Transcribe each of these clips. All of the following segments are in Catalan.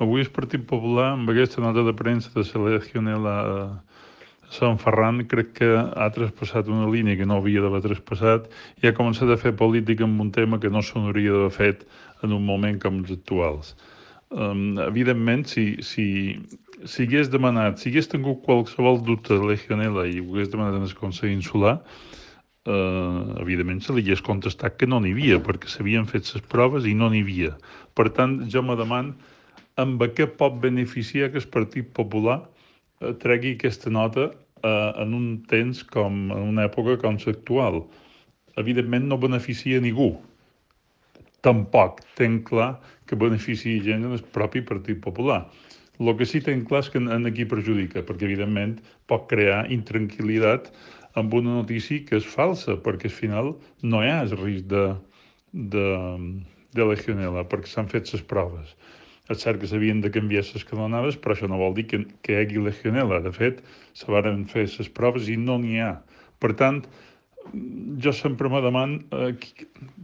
Avui el Partit Popular, amb aquesta nota de premsa de la legionel·la a Sant Ferran, crec que ha traspassat una línia que no havia d'haver traspassat i ha començat a fer política amb un tema que no s'hauria d'haver fet en un moment com els actuals. Evidentment, si hagués demanat, si hagués tingut qualsevol dubte de legionel·la i ho hagués demanat en el Consell Insular, evidentment se li hagués contestat que no n'hi havia, perquè s'havien fet les proves i no n'hi havia. Per tant, jo me demano amb què pot beneficiar que el Partit Popular tregui aquesta nota en un temps com, en una època com l'actual. Evidentment no beneficia ningú. Tampoc tenc clar que beneficia gent en el propi Partit Popular. El que sí tenc clar és que en aquí perjudica, perquè evidentment pot crear intranquil·litat amb una notícia que és falsa, perquè al final no hi ha el risc de legionel·la, perquè s'han fet les proves. És cert que s'havien de canviar les canonades, però això no vol dir que hi hagi legionel·la. De fet, se van fer les proves i no n'hi ha. Per tant, jo sempre me demano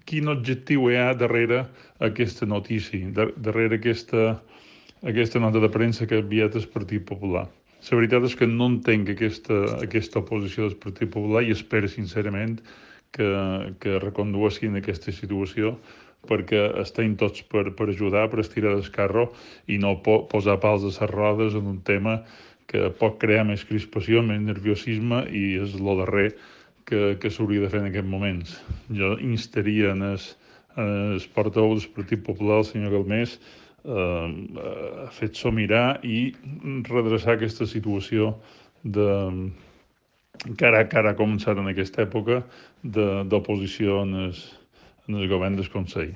quin objectiu hi ha darrere aquesta notícia, darrere aquesta nota de premsa que ha enviat el Partit Popular. La veritat és que no entenc aquesta oposició del Partit Popular i espero sincerament que recondueixin aquesta situació, perquè estem tots per ajudar, per estirar del carro i no posar pals a les rodes en un tema que pot crear més crispació, més nerviosisme i és el darrer que s'hauria de fer en aquests moments. Jo instaria en el portaveu del Partit Popular, el senyor Galmés, a fer-s'ho mirar i redreçar aquesta situació que ara ha començat en aquesta època d'oposició en el govern del Consell.